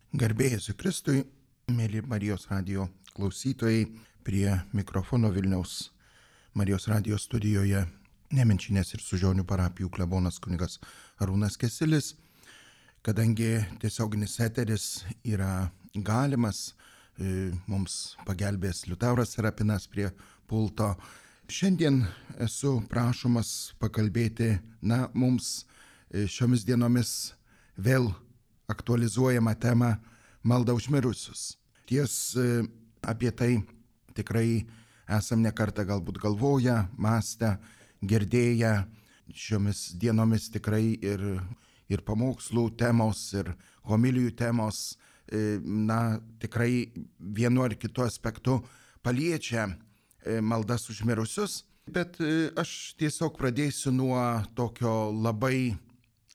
Garbė Jėzui Kristui, mėly Marijos radijo klausytojai, prie mikrofono Vilniaus Marijos radijo studijoje Nemenčinės ir Sužionių parapijų klebonas kunigas Arūnas Kesilis. Kadangi tiesioginis eteris yra galimas, mums pagelbės Liutauras Serapinas prie pulto. Šiandien esu prašomas pakalbėti, mums šiomis dienomis vėl aktualizuojama tema malda už mirusius. Apie tai tikrai esam nekartą galbūt galvoję, mąstę, girdėję. Šiomis dienomis tikrai ir pamokslų temos, ir homilijų temos, tikrai vienu ar kitu aspektu paliečia maldas už mirusius. Bet aš tiesiog pradėsiu nuo tokio labai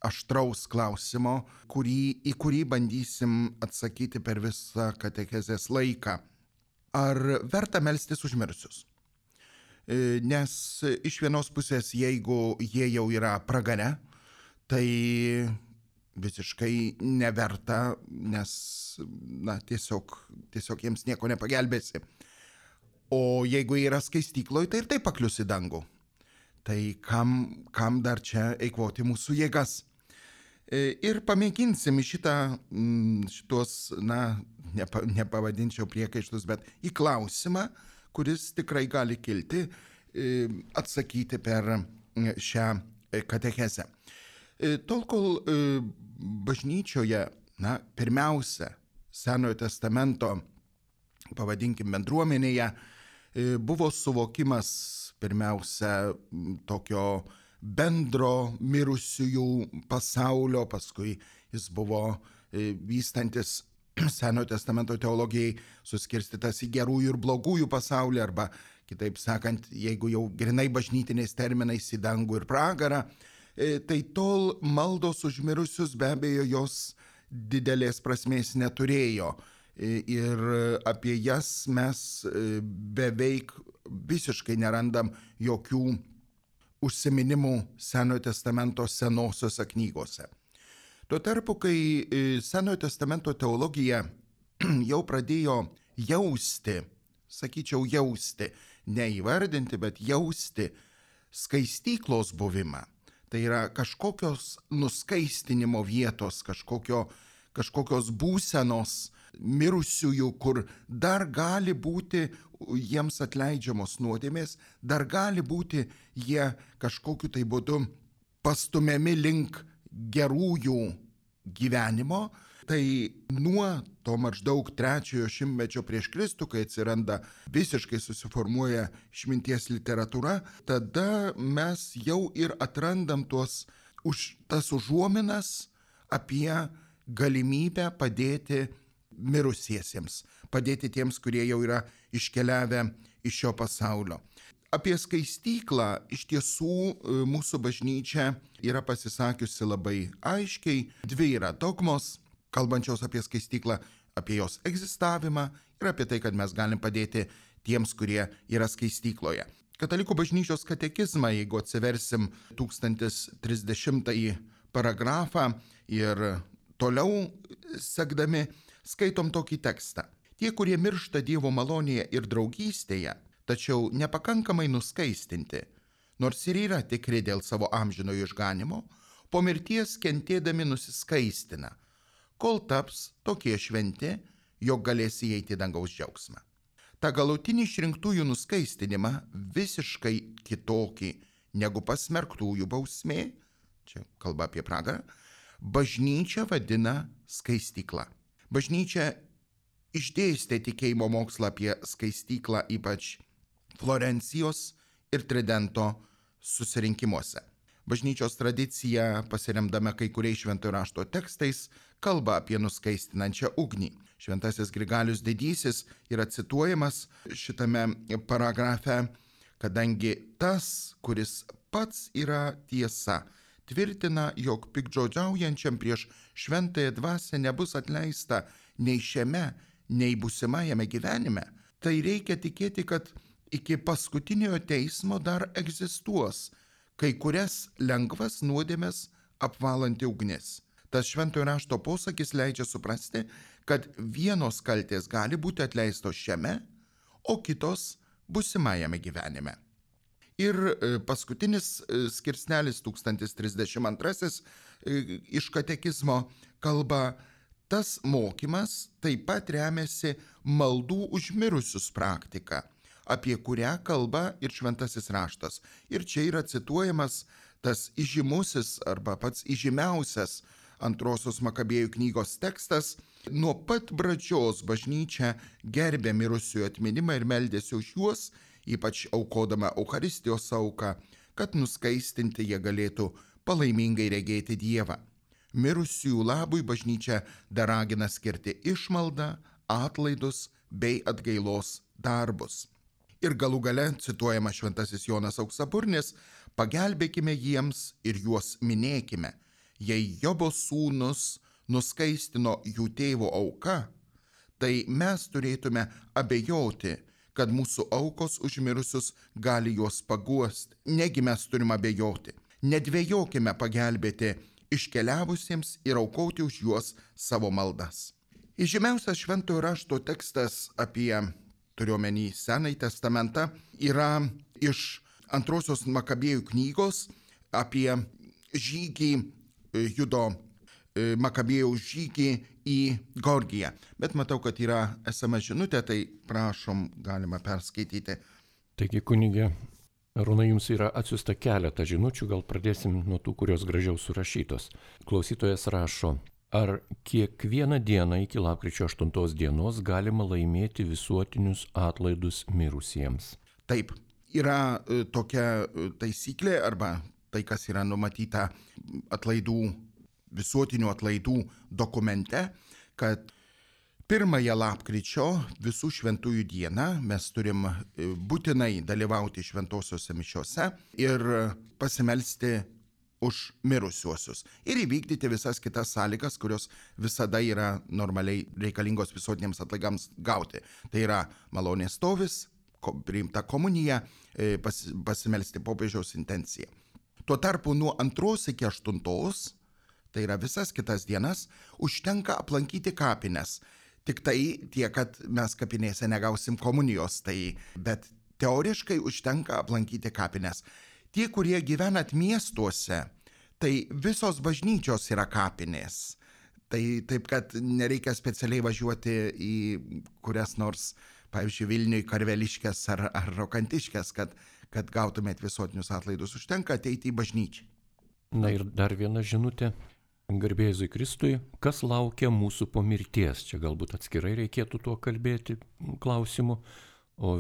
aštraus klausimo, į kurį bandysim atsakyti per visą katechezės laiką. Ar verta melstis už mirusius? Nes iš vienos pusės, jeigu jie jau yra pragare, tai visiškai neverta, nes tiesiog jiems nieko nepagelbėsi. O jeigu yra skaistykloje, tai ir taip paklius į dangų. Tai kam dar čia eikvoti mūsų jėgas? Ir pamėginsim šitos, nepavadinčiau priekaištus, bet į klausimą, kuris tikrai gali kilti, atsakyti per šią katechezę. Tol, kol bažnyčioje, pirmiausia, Senojo testamento, pavadinkim, bendruomenėje, buvo suvokimas pirmiausia tokio bendro mirusiųjų pasaulio, paskui jis buvo vystantis Senojo testamento teologijai suskirstytas į gerųjų ir blogųjų pasaulį, arba kitaip sakant, jeigu jau grinai bažnytiniais terminais į dangų ir pragarą, tai tol maldos už mirusius be abejo jos didelės prasmės neturėjo. Ir apie jas mes beveik visiškai nerandam jokių užsiminimų Senojo testamento senosiose knygose. Tuo tarpu, kai Senojo testamento teologija jau pradėjo jausti, neįvardinti, bet jausti skaistyklos buvimą, tai yra kažkokios nuskaistinimo vietos, kažkokios būsenos mirusiųjų, kur dar gali būti jiems atleidžiamos nuodėmės, dar gali būti jie kažkokiu tai būdu pastumiami link gerųjų gyvenimo. Tai nuo to maždaug 3 šimtmečio prieš Kristų, kai atsiranda visiškai susiformuoja išminties literatūra, tada mes jau ir atrandam tas užuominas apie galimybę padėti mirusiesiems, padėti tiems, kurie jau yra iškeliavę iš šio pasaulio. Apie skaistyklą iš tiesų mūsų bažnyčia yra pasisakiusi labai aiškiai. 2 yra dogmos, kalbančios apie skaistyklą, apie jos egzistavimą ir apie tai, kad mes galim padėti tiems, kurie yra skaistykloje. Katalikų bažnyčios katekizmą, jeigu atsiversim 1030 paragrafą ir toliau sekdami, skaitom tokį tekstą. Tie, kurie miršta Dievo malonėje ir draugystėje, tačiau nepakankamai nuskaistinti, nors ir yra tikri dėl savo amžinojo išganimo, po mirties kentėdami nusiskaistina, kol taps tokie šventi, jog galės įeiti dangaus džiaugsmą. Ta galutinį išrinktųjų nuskaistinimą visiškai kitokį negu pasmerktųjų bausmė, čia kalba apie pragarą, bažnyčia vadina skaistykla. Bažnyčia išdėstė tikėjimo mokslą apie skaistyklą ypač Florencijos ir Tridento susirinkimuose. Bažnyčios tradicija, pasiremdama kai kuriais šventojo rašto tekstais, kalba apie nuskaistinančią ugnį. Šventasis Grigalius Didysis yra cituojamas šitame paragrafe, kadangi tas, kuris pats yra tiesa, tvirtina, jog piktžodžiaujančiam prieš šventąją dvasią nebus atleista nei šiame, nei būsimajame gyvenime, tai reikia tikėti, kad iki paskutiniojo teismo dar egzistuos kai kurias lengvas nuodėmes apvalanti ugnis. Tas šventojo rašto posakis leidžia suprasti, kad vienos kaltės gali būti atleistos šiame, o kitos busimajame gyvenime. Ir paskutinis skirsnelis 1032 iš katekizmo kalba, tas mokymas taip pat remiasi maldų už mirusius praktika, apie kurią kalba ir šventasis raštas. Ir čia yra cituojamas tas įžymusis arba pats įžymiausias antrosios Makabėjų knygos tekstas. Nuo pat pradžios bažnyčia gerbė mirusiųjų atminimą ir meldėsi už juos, ypač aukodama Eucharistijos auką, kad nuskaistinti jie galėtų palaimingai regėti Dievą. Mirusiųjų labui bažnyčia dar ragina skirti išmaldą, atlaidus bei atgailos darbus. Ir galų gale, cituojama šventasis Jonas Auksaburnis, pagelbėkime jiems ir juos minėkime. Jei Jobo sūnus nuskaistino jų tėvo auka, tai mes turėtume abejoti, kad mūsų aukos už mirusius gali juos paguosti. Negi mes turime abejoti. Nedvejokime pagelbėti iškeliavusiems ir aukoti už juos savo maldas. Įžymiausias šventojo rašto tekstas apie, turiuomenį Senąjį testamentą, yra iš antrosios Makabėjų knygos apie žygį, Judo Makabėjaus žygį į Gorgiją. Bet matau, kad yra SMS žinutė, tai prašom, galima perskaityti. Taigi, kunigė Arūnai, jums yra atsiųsta keletą žinučių, gal pradėsim nuo tų, kurios gražiau surašytos. Klausytojas rašo, ar kiekvieną dieną iki lapkričio 8 dienos galima laimėti visuotinius atlaidus mirusiems? Taip, yra tokia taisyklė arba tai, kas yra numatyta visuotinių atlaidų dokumente, kad 1 lapkričio visų šventųjų dieną mes turim būtinai dalyvauti šventosiuose mišiose ir pasimelsti už mirusiuosius ir įvykdyti visas kitas sąlygas, kurios visada yra normaliai reikalingos visuotiniams atlaidams gauti. Tai yra malonės stovis, priimta komunija, pasimelsti popiežiaus intenciją. Tuo tarpu nuo 2 iki 8, tai yra visas kitas dienas, užtenka aplankyti kapines. Tik tai tiek, kad mes kapinėse negausim komunijos, bet teoriškai užtenka aplankyti kapines. Tie, kurie gyvenat miestuose, tai visos bažnyčios yra kapinės. Tai taip, kad nereikia specialiai važiuoti į kurias nors, pavyzdžiui, Vilniui, Karveliškės ar Rokantiškės, kad gautumėt visuotinius atlaidus. Užtenka ateiti į bažnyčią. Na ir dar viena žinutė. Garbė Jėzui Kristui, kas laukia mūsų po mirties? Čia galbūt atskirai reikėtų tuo kalbėti klausimu. O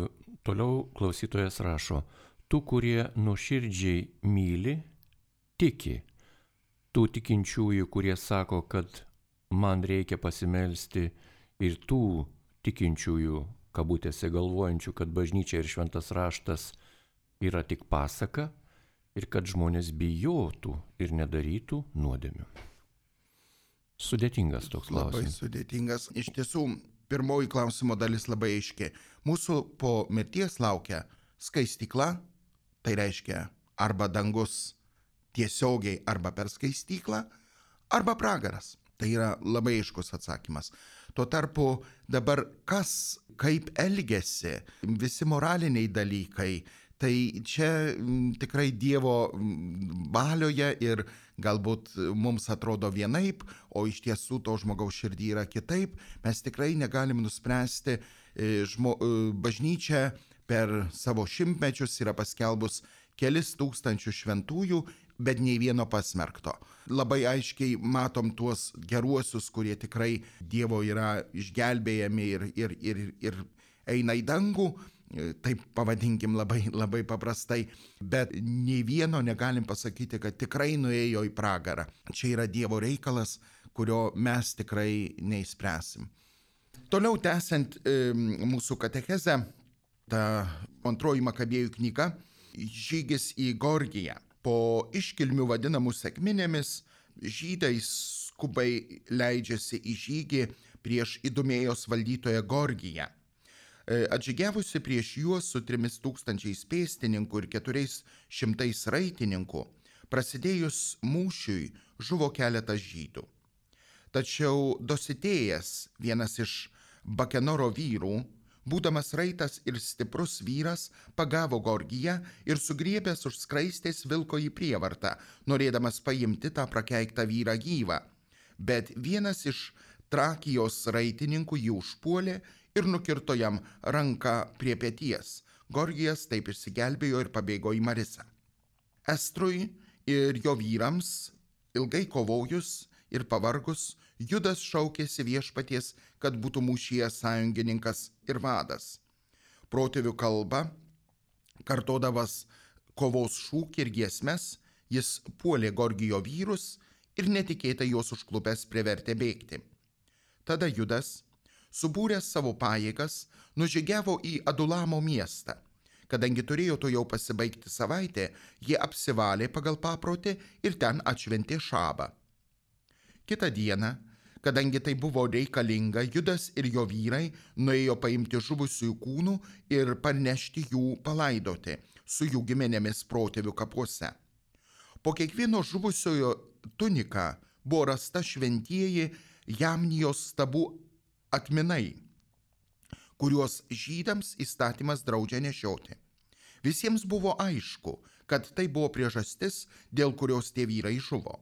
toliau klausytojas rašo, tų, kurie nuoširdžiai myli, tiki. Tų tikinčiųjų, kurie sako, kad man reikia pasimelsti, ir tų tikinčiųjų, kabutėse galvojančių, kad bažnyčia ir šventas raštas yra tik pasaka ir kad žmonės bijotų ir nedarytų nuodėmių. Sudėtingas toks klausimas. Labai sudėtingas. Iš tiesų, pirmoji klausimo dalis labai aiški. Mūsų po mirties laukia skaistykla, tai reiškia arba dangus tiesiogiai arba per skaistyklą, arba pragaras. Tai yra labai aiškus atsakymas. Tuo tarpu dabar kas, kaip elgiasi, visi moraliniai dalykai, tai čia tikrai Dievo valioje ir galbūt mums atrodo vienaip, o iš tiesų to žmogaus širdį yra kitaip. Mes tikrai negalim nuspręsti. Bažnyčia per savo šimtmečius yra paskelbus kelis tūkstančių šventųjų, bet nei vieno pasmerkto. Labai aiškiai matom tuos geruosius, kurie tikrai Dievo yra išgelbėjami ir eina į dangų. Taip pavadinkim labai paprastai, bet nei vieno negalim pasakyti, kad tikrai nuėjo į pragarą. Čia yra Dievo reikalas, kurio mes tikrai neišspręsim. Toliau tęsiant mūsų katechezę, ta 2 Makabėjų knyga, žygis į Gorgiją. Po iškilmių vadinamų sekminėmis, žydai skubai leidžiasi į žygį prieš Idumėjos valdytoją Gorgiją. Atžygiavusi prieš juos su 3000 pėstininkų ir 400 raitininkų, prasidėjus mūšiui žuvo keletas žydų. Tačiau Dositėjas, vienas iš Bakenoro vyrų, būdamas raitas ir stiprus vyras, pagavo Gorgiją ir sugriebęs už skraistės vilko į prievartą, norėdamas paimti tą prakeiktą vyrą gyvą. Bet vienas iš Trakijos raitininkų jį užpuolė ir nukirto jam ranką prie peties. Gorgijas taip išsigelbėjo ir pabėgo į Marisą. Estrui ir jo vyrams ilgai kovojus ir pavargus, Judas šaukėsi viešpaties, kad būtų mūšyje sąjungininkas ir vadas. Protėvių kalba, kartodamas kovos šūkį ir giesmes, jis puolė Gorgijo vyrus ir netikėtai juos užklupęs privertė bėgti. Tada Judas, subūręs savo pajėgas, nužygiavo į Adulamo miestą. Kadangi turėjo to jau pasibaigti savaitę, jie apsivalė pagal paprotį ir ten atšventė šabą. Kitą dieną, kadangi tai buvo reikalinga, Judas ir jo vyrai nuėjo paimti žuvusiųjų kūnų ir parnešti jų palaidoti su jų giminėmis protėvių kapuose. Po kiekvieno žuvusiojo tunika buvo rasta šventieji Jamnijos stabų atminai, kuriuos žydams įstatymas draudžia nešioti. Visiems buvo aišku, kad tai buvo priežastis, dėl kurios tie vyrai žuvo.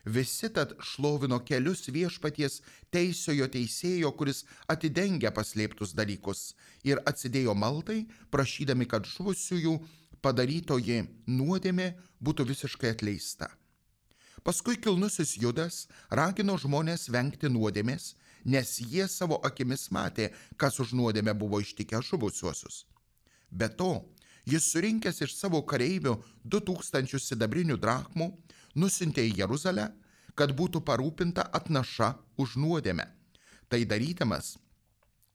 Visi tad šlovino kelius viešpaties teisiojo teisėjo, kuris atidengia paslėptus dalykus, ir atsidėjo maldai, prašydami, kad žuvusiųjų padarytoji nuodėmė būtų visiškai atleista. Paskui kilnusis Judas ragino žmonės vengti nuodėmės, nes jie savo akimis matė, kas už nuodėmę buvo ištikę žuvusiuosius. Be to, jis surinkęs iš savo kareivių 2000 sidabrinių drachmų, nusiuntė į Jeruzalę, kad būtų parūpinta atnaša už nuodėmę. Tai darydamas,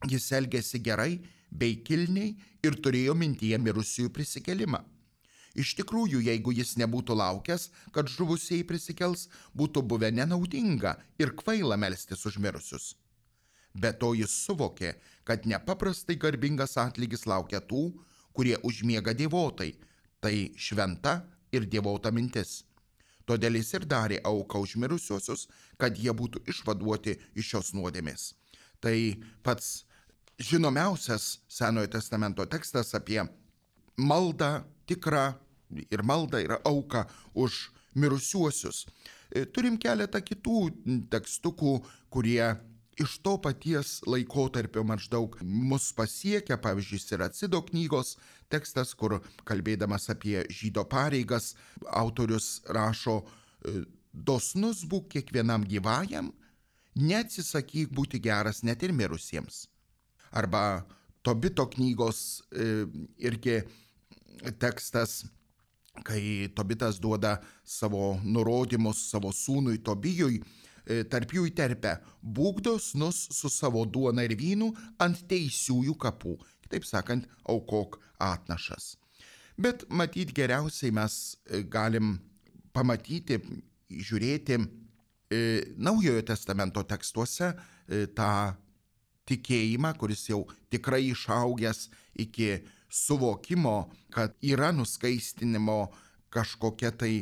jis elgėsi gerai bei kilniai ir turėjo mintyje mirusiųjų prisikėlimą. Iš tikrųjų, jeigu jis nebūtų laukęs, kad žuvusieji prisikels, būtų buvę nenaudinga ir kvaila melstis už mirusius. Be to jis suvokė, kad nepaprastai garbingas atlygis laukia tų, kurie užmiega dievotai, tai šventa ir dievota mintis. Todėl jis ir darė auką už mirusiuosius, kad jie būtų išvaduoti iš šios nuodėmės. Tai pats žinomiausias Senojo testamento tekstas apie maldą tikrą ir maldą ir auką už mirusiuosius. Turim keletą kitų tekstukų, kurie iš to paties laikotarpio maždaug mus pasiekia, pavyzdžiui, Siracido knygos tekstas, kur kalbėdamas apie žydo pareigas, autorius rašo: dosnus būk kiekvienam gyvajam, neatsisakyk būti geras net ir mirusiems. Arba Tobito knygos irgi tekstas, kai Tobitas duoda savo nurodymus savo sūnui Tobijui, tarp jų įterpia: būk dosnus su savo duona ir vynu ant teisiųjų kapų. Kitaip sakant, aukok atnašas. Bet matyt, geriausiai mes galim pamatyti, žiūrėti Naujojo testamento tekstuose tą tikėjimą, kuris jau tikrai išaugęs iki suvokimo, kad yra nuskaistinimo kažkokia tai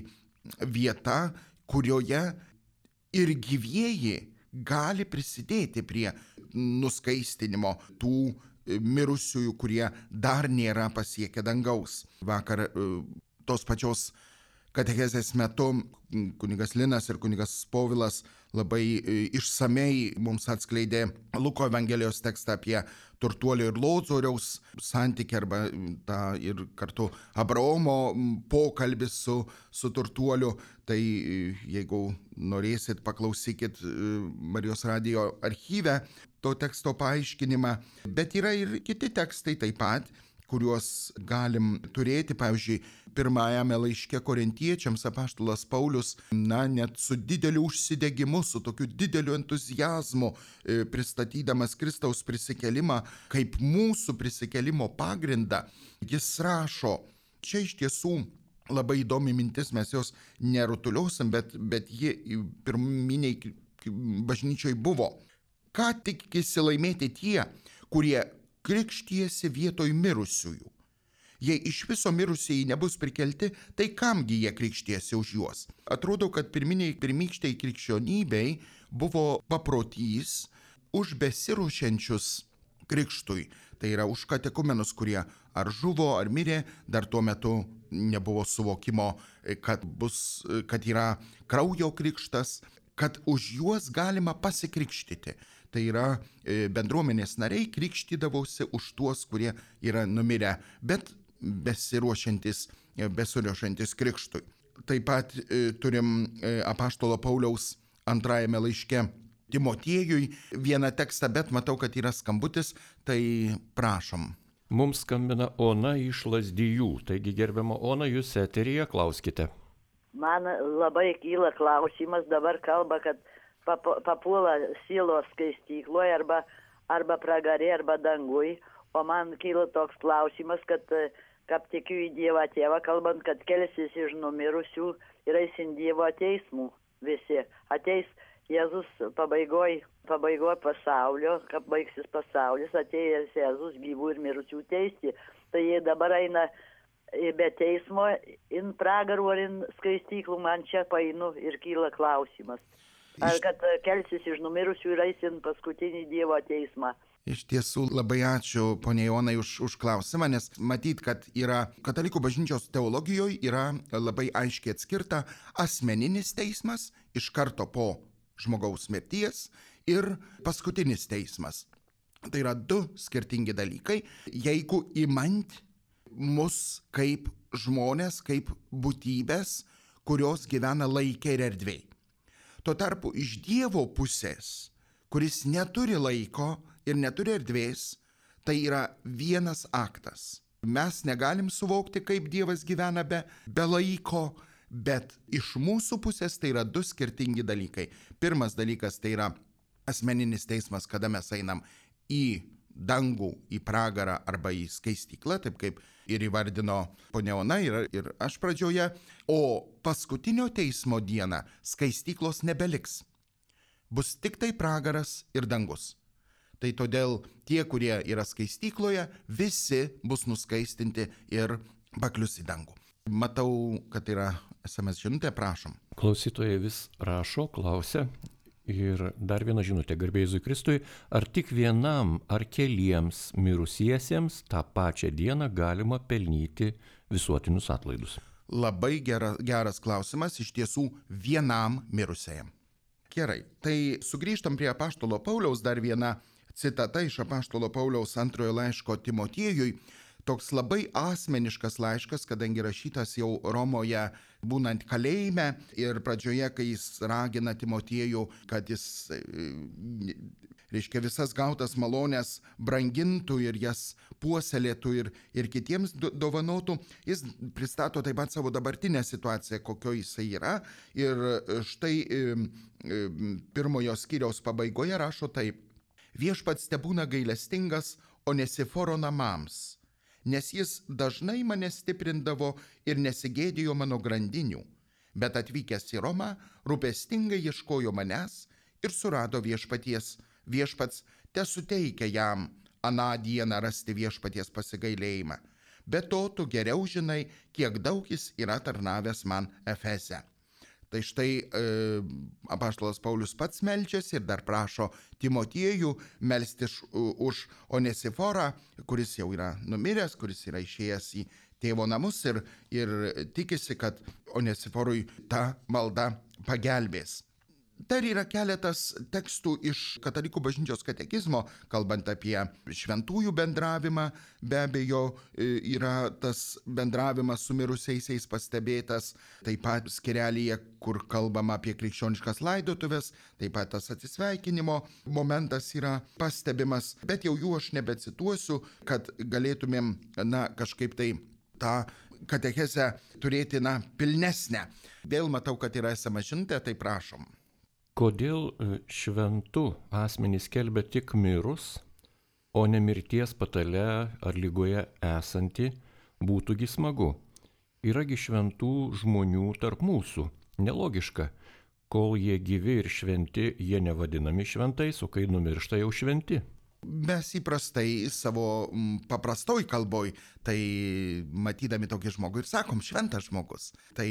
vieta, kurioje ir gyvieji gali prisidėti prie nuskaistinimo tų mirusiųjų, kurie dar nėra pasiekę dangaus. Vakar tos pačios katechezės metu kunigas Linas ir kunigas Povilas labai išsamei mums atskleidė Luko Evangelijos tekstą apie turtuolio ir Lozoriaus santykį, arba tą ir kartu Abraomo pokalbį su turtuoliu. Tai jeigu norėsit, paklausykit Marijos radijo archyve to teksto paaiškinimą. Bet yra ir kiti tekstai taip pat, kuriuos galim turėti. Pavyzdžiui, pirmajame laiške Korintiečiams apaštalas Paulius, net su dideliu užsidegimu, su tokiu dideliu entuziazmu, pristatydamas Kristaus prisikėlimą kaip mūsų prisikėlimo pagrindą, jis rašo, čia iš tiesų labai įdomi mintis, mes jos nerutuliosim, bet ji pirminiai bažnyčioj buvo. Ką tikisi laimėti tie, kurie krikštijasi vietoj mirusiųjų? Jei iš viso mirusieji nebus prikelti, tai kamgi jie krikštiesi už juos? Atrodo, kad pirmykštei krikščionybei buvo paprotys už besiruošiančius krikštui. Tai yra už katekumenus, kurie ar žuvo, ar mirė, dar tuo metu nebuvo suvokimo, kad yra kraujo krikštas, kad už juos galima pasikrikštyti. Tai yra bendruomenės nariai krikštydavosi už tuos, kurie yra numirę, bet besiruošiantis krikštui. Taip pat turim apaštalo Pauliaus antrajame laiške Timotiejui vieną tekstą, bet matau, kad yra skambutis, tai prašom. Mums skambina Ona iš Lazdijų. Taigi, gerbiama Ona, jūs eteryje, klauskite. Man labai kyla klausimas, dabar kalba, kad papuola sielos skaistykloje arba pragarė, arba dangui. O man kyla toks klausimas, kad kaip tikiu į Dievą Tėvą, kalbant, kad kelsis iš numirusių ir eisin Dievo teismų visi. Ateis Jėzus pabaigoj pasaulio, kaip baigsis pasaulis, atėjęs Jėzus gyvų ir mirusių teisti. Tai jie dabar eina be teismo, in pragarų ar in skaistyklų, man čia painu ir kyla klausimas. Ar kad kelsis iš numirusių ir eisin paskutinį Dievo teismą. Iš tiesų labai ačiū, ponia Jonai, už klausimą, nes matyt, kad yra katalikų bažnyčios teologijoje yra labai aiškiai atskirta asmeninis teismas iš karto po žmogaus mirties ir paskutinis teismas. Tai yra du skirtingi dalykai. Jeigu imant mus kaip žmonės, kaip būtybės, kurios gyvena laike ir erdvėj. Tuo tarpu iš Dievo pusės, kuris neturi laiko ir neturi erdvės, tai yra vienas aktas. Mes negalim suvokti, kaip Dievas gyvena be laiko, bet iš mūsų pusės tai yra du skirtingi dalykai. Pirmas dalykas tai yra asmeninis teismas, kada mes einam į dangų, į pragarą arba į skaistyklą, taip kaip ir įvardino ponia Ona ir aš pradžioje, o paskutinio teismo dieną skaistyklos nebeliks. Bus tik tai pragaras ir dangus. Tai todėl tie, kurie yra skaistykloje, visi bus nuskaistinti ir paklius į dangų. Matau, kad yra SMS žinutė, prašom. Klausytojai vis rašo, klausia. Ir dar viena žinutė, garbė Jėzui Kristui, ar tik vienam ar keliems mirusiesiems tą pačią dieną galima pelnyti visuotinius atlaidus? Labai geras klausimas, iš tiesų vienam mirusiajam. Gerai, tai sugrįžtam prie apaštalo Pauliaus, dar viena citata iš apaštalo Pauliaus antrojo laiško Timotiejui. Toks labai asmeniškas laiškas, kadangi rašytas jau Romoje būnant kalėjime ir pradžioje, kai jis ragina Timotiejų, kad jis, visas gautas malonės brangintų ir jas puoselėtų ir kitiems dovanotų, jis pristato taip pat savo dabartinę situaciją, kokio jisai yra. Ir štai pirmojo skyriaus pabaigoje rašo taip: Viešpats tebūna gailestingas Onesiforo namams, nes jis dažnai mane stiprindavo ir nesigėdėjo mano grandinių, bet atvykęs į Romą rūpestingai ieškojo manęs ir surado viešpats tesuteikia jam aną dieną rasti viešpaties pasigailėjimą. Be to, tu geriau žinai, kiek daug jis yra tarnavęs man Efeze. Tai štai apaštalas Paulius pats meldžiasi ir dar prašo Timotiejų melstis už Onesiforą, kuris jau yra numiręs, kuris yra išėjęs į tėvo namus ir tikisi, kad Onesiforui ta malda pagelbės. Dar yra keletas tekstų iš katalikų bažnyčios katekizmo, kalbant apie šventųjų bendravimą. Be abejo, yra tas bendravimas su mirusiaisiais pastebėtas, taip pat skyrelyje, kur kalbama apie krikščioniškas laidotuvės, taip pat tas atsisveikinimo momentas yra pastebimas, bet jau jų aš nebecituosiu, kad galėtumėm, kažkaip tai tą katechezę turėti, pilnesnę. Vėl matau, kad yra esama žinutė, tai prašom. Kodėl šventų asmenys skelbia tik mirus, o ne mirties patale ar lygoje esanti, būtųgi smagu? Yragi šventų žmonių tarp mūsų. Nelogiška, kol jie gyvi ir šventi, jie nevadinami šventais, o kai numiršta jau šventi. Mes įprastai savo paprastoj kalboj, tai matydami tokį žmogų ir sakom šventas žmogus. Tai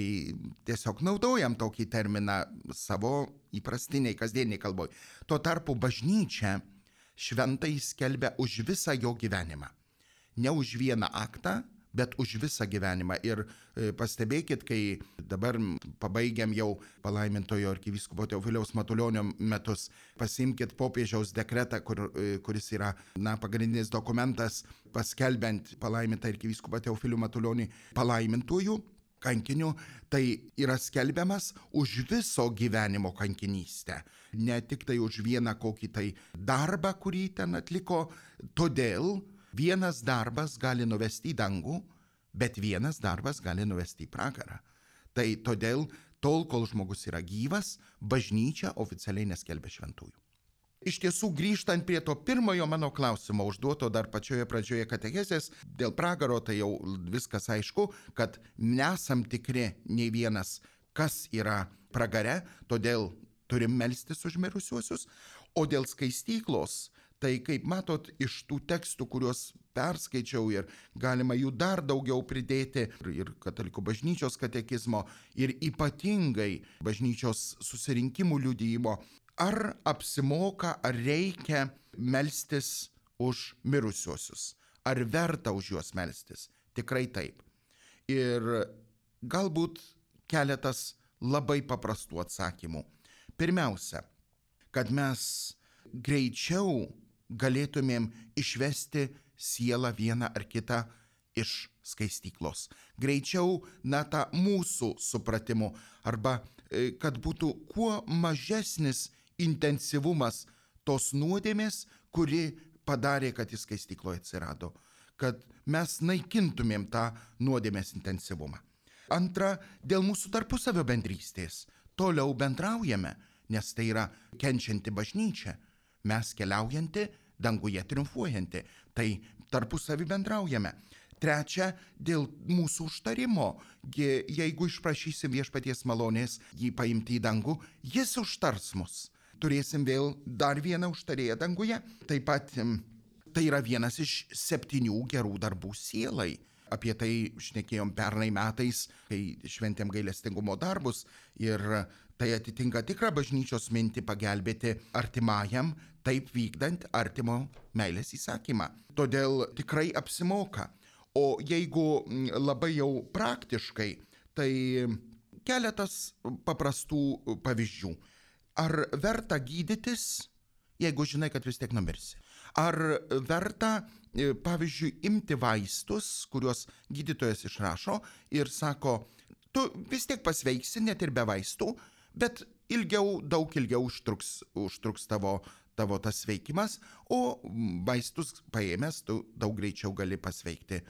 tiesiog naudojam tokį terminą savo įprastiniai, kasdieniai kalboj. Tuo tarpu bažnyčia šventai skelbia už visą jo gyvenimą. Ne už vieną aktą, bet už visą gyvenimą. Ir pastebėkit, kai dabar pabaigiam jau palaimintojo arkivyskupo Teofiliaus Matulionio metus, pasiimkit popiežiaus dekretą, kuris yra pagrindinis dokumentas paskelbiant palaimintą arkivyskupą Teofilių Matulionį palaimintojų kankiniu, tai yra skelbiamas už viso gyvenimo kankinystę. Ne tik tai už vieną kokį tai darbą, kurį ten atliko. Todėl vienas darbas gali nuvesti į dangų, bet vienas darbas gali nuvesti į pragarą. Tai todėl, tol, kol žmogus yra gyvas, bažnyčia oficialiai neskelbia šventųjų. Iš tiesų, grįžtant prie to pirmojo mano klausimo, užduoto dar pačioje pradžioje katechezės, dėl pragaro tai jau viskas aišku, kad nesam tikri nei vienas, kas yra pragare, todėl turim melstis už mirusiuosius, o dėl skaistyklos, tai kaip matot iš tų tekstų, kuriuos perskaičiau ir galima jų dar daugiau pridėti ir katalikų bažnyčios katekizmo ir ypatingai bažnyčios susirinkimų liudijimo, ar apsimoka, ar reikia melstis už mirusiuosius, ar verta už juos melstis. Tikrai taip. Ir galbūt keletas labai paprastų atsakymų. Pirmiausia, kad mes greičiau galėtumėm išvesti sielą vieną ar kitą iš skaistyklos. Greičiau, tą mūsų supratimu, arba kad būtų kuo mažesnis intensyvumas tos nuodėmės, kuri padarė, kad jis skaistykloje atsirado. Kad mes naikintumėm tą nuodėmės intensyvumą. Antra, dėl mūsų tarpusavio bendrystės. Toliau bendraujame, nes tai yra kenčianti bažnyčia. Mes keliaujanti, danguje triumfuojanti. Tai tarpusavį bendraujame. Trečia, dėl mūsų užtarimo. Jeigu išprašysim viešpaties malonės jį paimti į dangų, jis užtars mus. Turėsim vėl dar vieną užtarėją danguje. Taip pat tai yra vienas iš 7 gerų darbų sielai. Apie tai šnekėjom pernai metais, kai šventėm gailestingumo darbus, ir tai atitinka tikrą bažnyčios mintį pagelbėti artimajam, taip vykdant artimo meilės įsakymą. Todėl tikrai apsimoka. O jeigu labai jau praktiškai, tai keletas paprastų pavyzdžių. Ar verta gydytis, jeigu žinai, kad vis tiek numirsi? Ar verta, pavyzdžiui, imti vaistus, kuriuos gydytojas išrašo ir sako, tu vis tiek pasveiksi net ir be vaistų, bet daug ilgiau užtruks tavo tas sveikimas, o vaistus paėmęs tu daug greičiau gali pasveikti.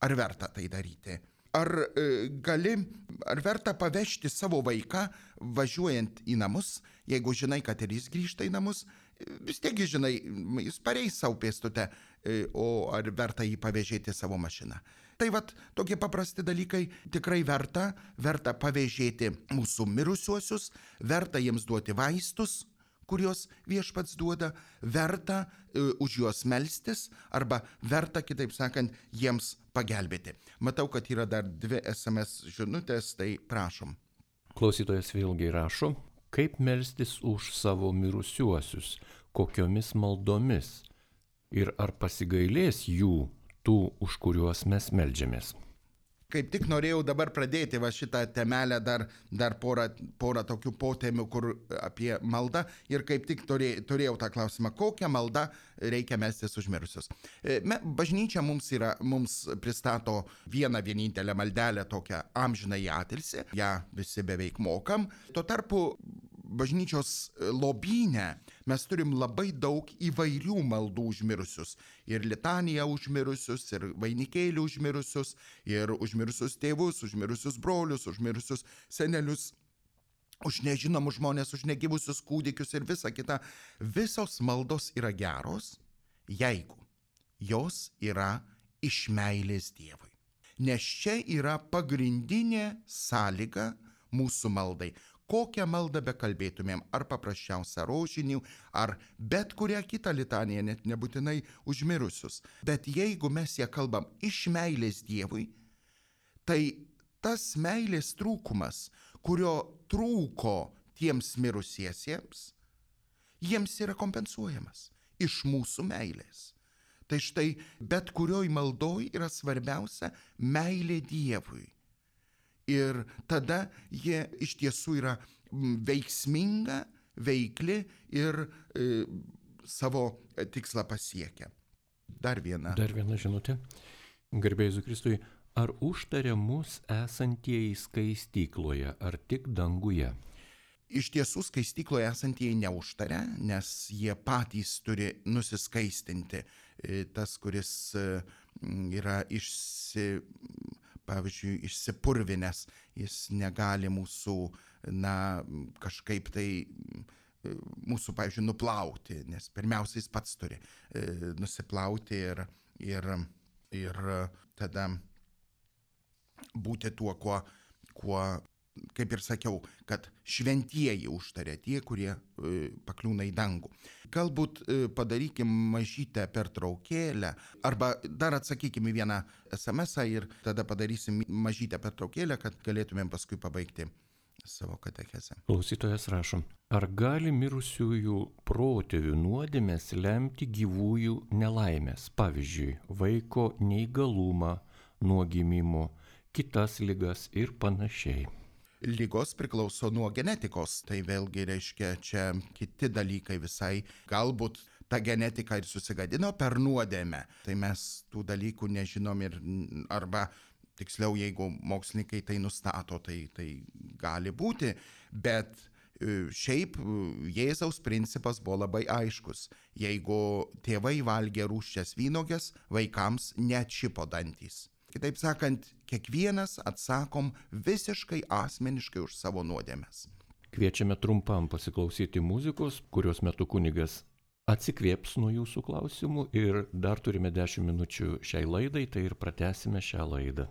Ar verta tai daryti? Ar verta pavežti savo vaiką važiuojant į namus, jeigu žinai, kad ir jis grįžta į namus, vis tiek žinai, jis pareis savo pėstute, o ar verta jį pavežėti savo mašiną. Tai tokie paprasti dalykai tikrai verta pavežėti mūsų mirusiuosius, verta jiems duoti vaistus, kuriuos viešpats duoda, verta už juos melstis, arba verta, kitaip sakant, jiems pagelbėti. Matau, kad yra dar 2 SMS žinutės, tai prašom. Klausytojas vėlgi rašo, kaip melstis už savo mirusiuosius, kokiomis maldomis ir ar pasigailės jų, tų, už kuriuos mes meldžiamės. Kaip tik norėjau dabar pradėti šitą temelę, dar porą tokių potemių, kur apie maldą, ir kaip tik turėjau tą klausimą, kokią maldą reikia melstis už mirusius. Bažnyčia mums pristato vienintelę maldelę, tokią amžinąjį atilsį, ją visi beveik mokam. Tuo tarpu bažnyčios lobyne mes turim labai daug įvairių maldų už mirusius. Ir litaniją už mirusius, ir vainikėlį už mirusius, ir už mirusius tėvus, už mirusius brolius, už mirusius senelius, už nežinomus žmonės, už negyvusius kūdikius ir visa kita. Visos maldos yra geros, jeigu jos yra iš meilės Dievui. Nes čia yra pagrindinė sąlyga mūsų maldai. kokią maldą bekalbėtumėm, ar paprasčiausią rožinių, ar bet kurią kitą litaniją, net nebūtinai užmirusius. Bet jeigu mes ją kalbam iš meilės Dievui, tai tas meilės trūkumas, kurio trūko tiems mirusiesiems, jiems yra kompensuojamas iš mūsų meilės. Tai štai bet kurioj maldoj yra svarbiausia meilė Dievui. Ir tada jie iš tiesų yra veiksminga, veikli ir savo tikslą pasiekia. Dar viena žinutė. Garbė Jėzui Kristui, ar užtaria mus esantieji skaistykloje, ar tik danguje? Iš tiesų skaistykloje esantieji neužtaria, nes jie patys turi nusiskaistinti. Tas, kuris yra pavyzdžiui, išsipurvinęs, jis negali mūsų, kažkaip tai mūsų, pavyzdžiui, nuplauti, nes pirmiausia jis pats turi nusiplauti ir tada būti tuo, kuo, kaip ir sakiau, kad šventieji užtaria tie, kurie pakliūna į dangų. Galbūt padarykim mažytę pertraukėlę, arba dar atsakykim į vieną SMS-ą ir tada padarysim mažytę pertraukėlę, kad galėtumėm paskui pabaigti savo katechezę. Klausytojas rašo, ar gali mirusiųjų protėvių nuodėmės lemti gyvųjų nelaimės, pavyzdžiui, vaiko neįgalumą nuo gimimo, kitas ligas ir panašiai? Lygos priklauso nuo genetikos, tai vėlgi reiškia čia kiti dalykai visai. Galbūt ta genetika ir susigadino per nuodėmę, tai mes tų dalykų nežinom arba tiksliau, jeigu mokslininkai tai nustato, tai gali būti, bet šiaip Jėzaus principas buvo labai aiškus. Jeigu tėvai valgė rūgščias vynuoges, vaikams neatšipo dantys. Kitaip sakant, kiekvienas atsakom visiškai asmeniškai už savo nuodėmes. Kviečiame trumpam pasiklausyti muzikos, kurios metu kunigas atsikvėps nuo jūsų klausimų ir dar turime 10 minučių šiai laidai, tai ir pratęsime šią laidą.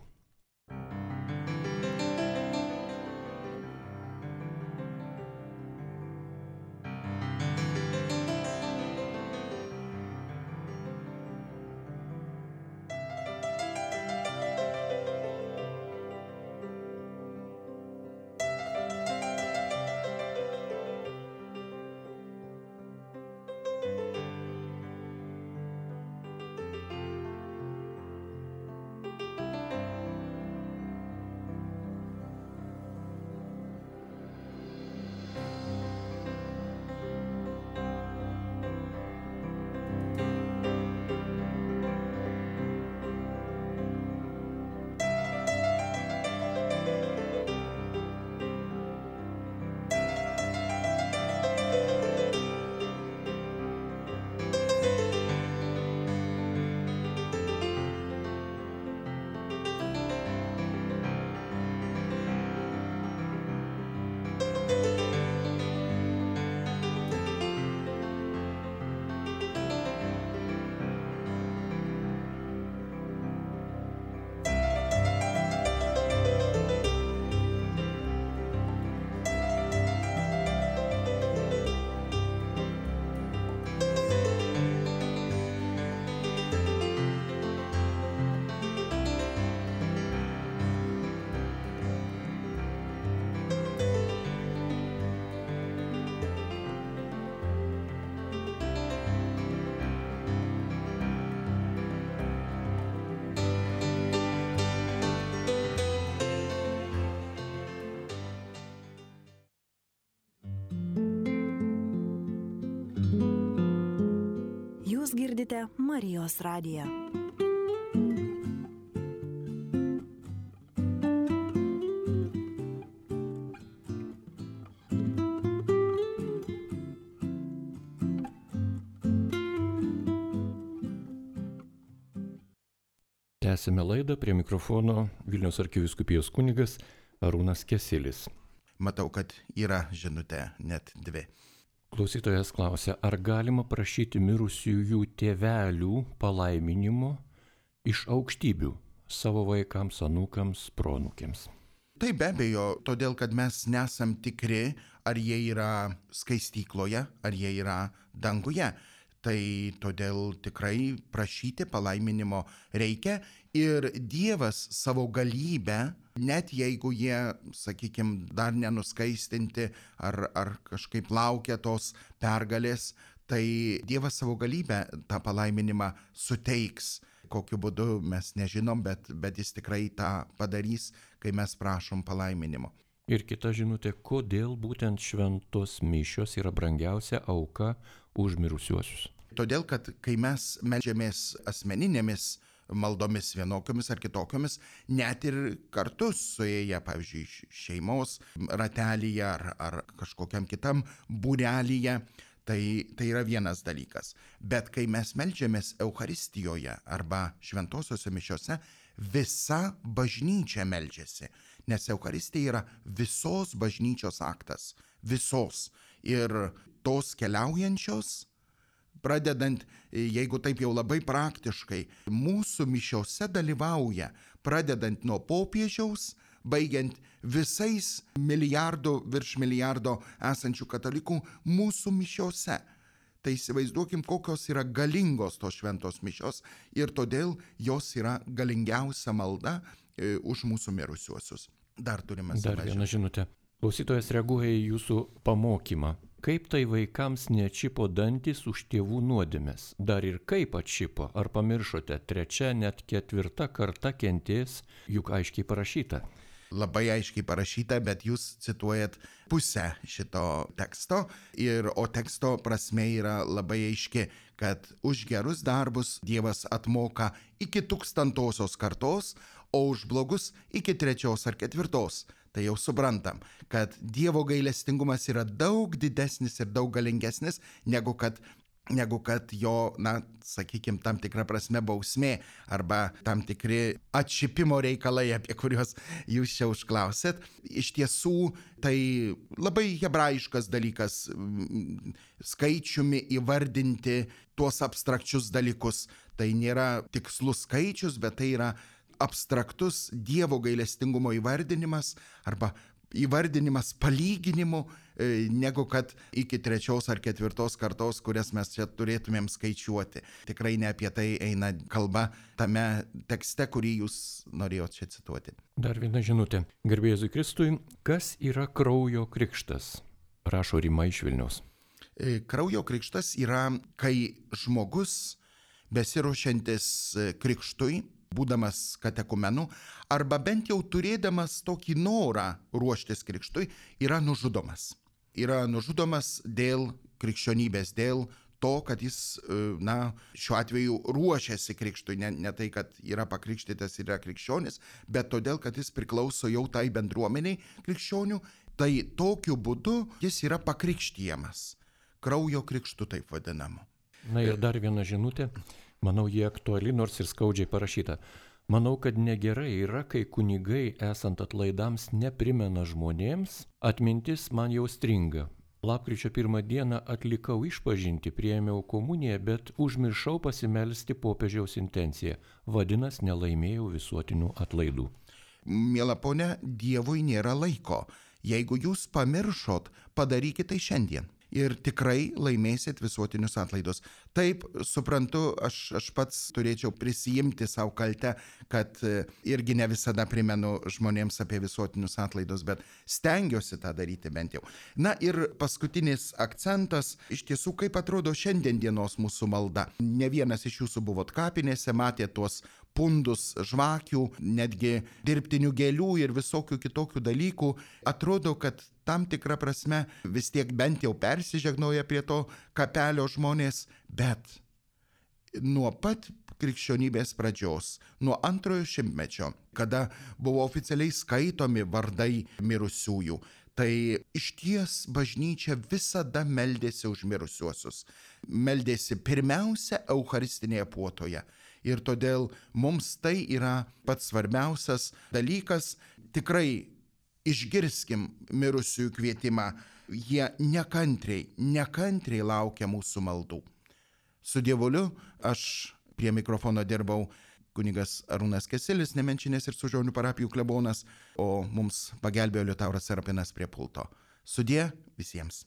Jūs girdite Marijos radiją. Tęsime laidą, prie mikrofono Vilniaus arkivyskupijos kunigas Arūnas Kesilis. Matau, kad yra žinutė, net 2. Klausytojas klausia, ar galima prašyti mirusiųjų tėvelių palaiminimo iš aukštybių savo vaikams, anūkams, proanūkiams? Tai be abejo, todėl kad mes nesam tikri, ar jie yra skaistykloje, ar jie yra danguje. Tai todėl tikrai prašyti palaiminimo reikia ir Dievas savo galybę, net jeigu jie, sakykime, dar nenuskaistinti ar kažkaip laukia tos pergalės, tai Dievas savo galybę tą palaiminimą suteiks. Kokiu būdu mes nežinom, bet jis tikrai tą padarys, kai mes prašom palaiminimo. Ir kita žinutė, kodėl būtent šventos mišios yra brangiausia auka už mirusiuosius. Todėl, kad kai mes meldžiamės asmeninėmis maldomis vienokiomis ar kitokiomis, net ir kartu suėję, pavyzdžiui, šeimos ratelyje ar kažkokiam kitam būrelyje, tai yra vienas dalykas. Bet kai mes meldžiamės Eucharistijoje arba šventosiuose mišiose, visa bažnyčia meldžiasi, nes Eucharistija yra visos bažnyčios aktas, visos. Ir tos keliaujančios, pradedant, jeigu taip jau labai praktiškai, mūsų mišiose dalyvauja, pradedant nuo popiežiaus, baigiant visais virš milijardo esančių katalikų mūsų mišiose. Tai įsivaizduokim, kokios yra galingos tos šventos mišios ir todėl jos yra galingiausia malda už mūsų mirusiuosius. Dar turime Dar vieną žinutę. Klausytojas reaguoja į jūsų pamokymą. Kaip tai vaikams neatšipo dantis už tėvų nuodėmes? Dar ir kaip atšipo? Ar pamiršote? 3, net 4 karta kentės, juk aiškiai parašyta. Labai aiškiai parašyta, bet jūs cituojat pusę šito teksto, o teksto prasme yra labai aiški, kad už gerus darbus Dievas atmoka iki 1000 kartos, o už blogus iki 3 ar 4. Tai jau suprantam, kad Dievo gailestingumas yra daug didesnis ir daug galingesnis, negu kad jo, sakykime, tam tikra prasme bausmė arba tam tikri atšipimo reikalai, apie kuriuos jūs čia užklausėt. Iš tiesų, tai labai hebrajiškas dalykas skaičiumi įvardinti tuos abstrakčius dalykus. Tai nėra tikslus skaičius, bet tai yra abstraktus Dievo gailestingumo įvardinimas arba įvardinimas palyginimu, negu kad iki 3 ar 4 kartos, kurias mes čia turėtumėm skaičiuoti. Tikrai ne apie tai eina kalba tame tekste, kurį jūs norėjot čia cituoti. Dar viena žinutė. Garbė Jėzui Kristui, kas yra kraujo krikštas? Rašo Rima iš Vilniaus. Kraujo krikštas yra, kai žmogus besiruošiantis krikštui, būdamas katekumenu, arba bent jau turėdamas tokį norą ruoštis krikštui, yra nužudomas. Yra nužudomas dėl krikščionybės, dėl to, kad jis, šiuo atveju ruošiasi krikštui. Ne tai, kad yra pakrikštytas ir yra krikščionis, bet todėl, kad jis priklauso jau tai bendruomeniai krikščionių, tai tokiu būdu jis yra pakrikštijamas. Kraujo krikštu taip vadinamu. Na ir dar viena žinutė. Manau, jie aktuali, nors ir skaudžiai parašyta. Manau, kad negerai yra, kai kunigai, esant atlaidams, neprimena žmonėms, atmintis man jau stringa. Lapkričio 1 dieną atlikau išpažintį, priėmiau komuniją, bet užmiršau pasimelsti popiežiaus intenciją. Vadinasi, nelaimėjau visuotinių atlaidų. Miela ponia, Dievui nėra laiko. Jeigu jūs pamiršot, padarykite tai šiandien. Ir tikrai laimėsit visuotinius atlaidus. Taip, suprantu, aš pats turėčiau prisijimti savo kaltę, kad irgi ne visada primenu žmonėms apie visuotinius atlaidus, bet stengiuosi tą daryti bent jau. Na ir paskutinis akcentas, iš tiesų, kaip atrodo šiandien dienos mūsų malda. Ne vienas iš jūsų buvot kapinėse, matė tuos pundus žvakių, netgi dirbtinių gėlių ir visokių kitokių dalykų. Atrodo, kad tam tikrą prasme vis tiek bent jau persižegnoja prie to kapelio žmonės, bet nuo pat krikščionybės pradžios, nuo 2 šimtmečio, kada buvo oficialiai skaitomi vardai mirusiųjų, tai išties bažnyčia visada meldėsi už mirusiuosius. Meldėsi pirmiausia Eucharistinėje puotoje. Ir todėl mums tai yra pats svarbiausias dalykas. Tikrai išgirskim mirusiųjų kvietimą. Jie nekantriai laukia mūsų maldų. Su Dievuliu aš prie mikrofono dirbau kunigas Arūnas Keselis, Nemenčinės ir Sužionių parapijų klebonas, o mums pagelbėjo Liutauras Serapinas prie pulto. Sudie visiems.